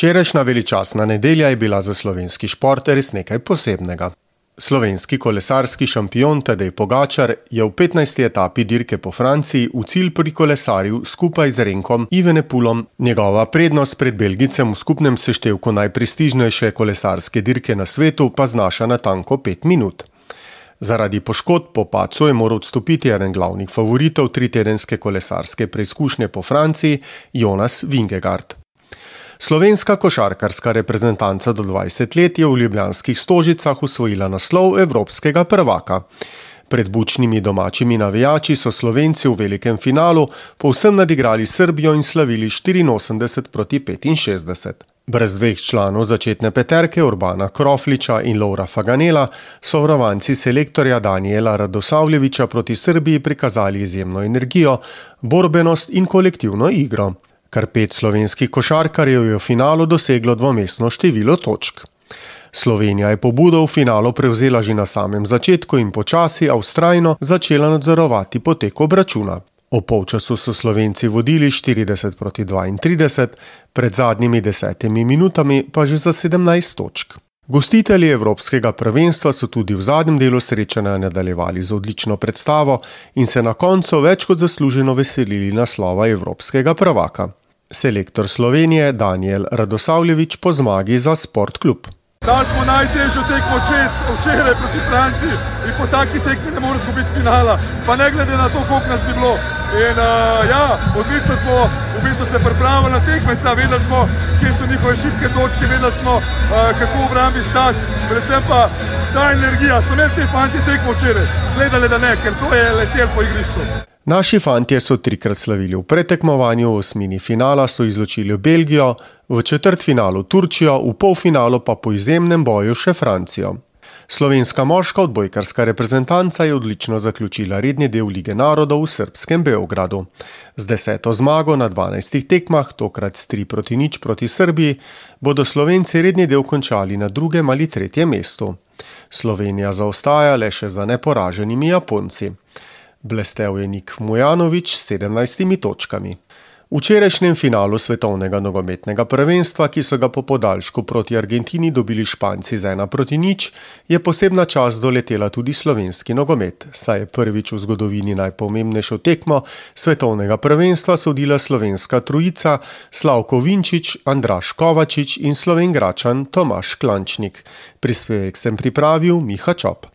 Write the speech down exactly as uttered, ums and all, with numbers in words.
Včerajšnja veličastna nedelja je bila za slovenski šport res nekaj posebnega. Slovenski kolesarski šampion Tadej Pogačar je v petnajsti etapi dirke po Franciji v cilj prikolesaril skupaj z Renkom Evenepoelom. Njegova prednost pred Belgijcem v skupnem seštevku najprestižnejše kolesarske dirke na svetu pa znaša natanko pet minut. Zaradi poškodb po padcu je moral odstopiti eden glavnih favoritov tritedenske kolesarske preizkušnje po Franciji, Jonas Vingegaard. Slovenska košarkarska reprezentanca do dvajset let je v ljubljanskih Stožicah osvojila naslov evropskega prvaka. Pred bučnimi domačimi navijači so Slovenci v velikem finalu povsem nadigrali Srbijo in slavili štiriinosemdeset proti petinšestdeset. Brez dveh članov začetne peterke Urbana Krofliča in Lovra Faganela so varovanci selektorja Danijela Radosavljevića proti Srbiji prikazali izjemno energijo, borbenost in kolektivno igro. Kar pet slovenskih košarkarjev je v finalu doseglo dvomestno število točk. Slovenija je pobudo v finalu prevzela že na samem začetku in počasi, a vztrajno začela nadzorovati potek obračuna. O polčasu so Slovenci vodili štirideset proti dvaintrideset, pred zadnjimi desetimi minutami pa že za sedemnajst točk. Gostitelji evropskega prvenstva so tudi v zadnjem delu srečanja nadaljevali z odlično predstavo in se na koncu več kot zasluženo veselili naslova evropskega prvaka. Selektor Slovenije Danijel Radosavljević po zmagi za Sportklub. Dali smo najtežjo tekmo čez včeraj proti Franciji in po taki tekmi ne moramo izgubiti finala, pa ne glede na to, koliko nas bi bilo. In uh, ja, odlično smo v bistvu se pripravili na tekmeca, vedeli smo, kje so njihove šibke točke, vedeli smo, uh, kako v obrambi stati, predvsem pa ta energija. So imeli te fanti tekmo včeraj, zgledali da ne, ker to je letel po igrišču. Naši fantje so trikrat slavili v pretekmovanju, v osmini finala so izločili Belgijo, v četrtfinalu Turčijo, v polfinalu pa po izjemnem boju še Francijo. Slovenska moška odbojkarska reprezentanca je odlično zaključila redni del Lige narodov v srbskem Beogradu. Z deseto zmago na dvanajstih tekmah, tokrat s tri proti nič proti Srbiji, bodo Slovenci redni del končali na drugem ali tretjem mestu. Slovenija zaostaja le še za neporaženimi Japonci. Blestel je Nik Mujanović s sedemnajstimi točkami. V včerajšnjem finalu svetovnega nogometnega prvenstva, ki so ga po podaljšku proti Argentini dobili Španci z ena proti nič, je posebna čast doletela tudi slovenski nogomet, saj je prvič v zgodovini najpomembnejšo tekmo svetovnega prvenstva sodila slovenska trojica Slavko Vinčić, Andraž Kovačič in Slovenjgračan Tomaž Klančnik. Prispevek sem pripravil Miha Čop.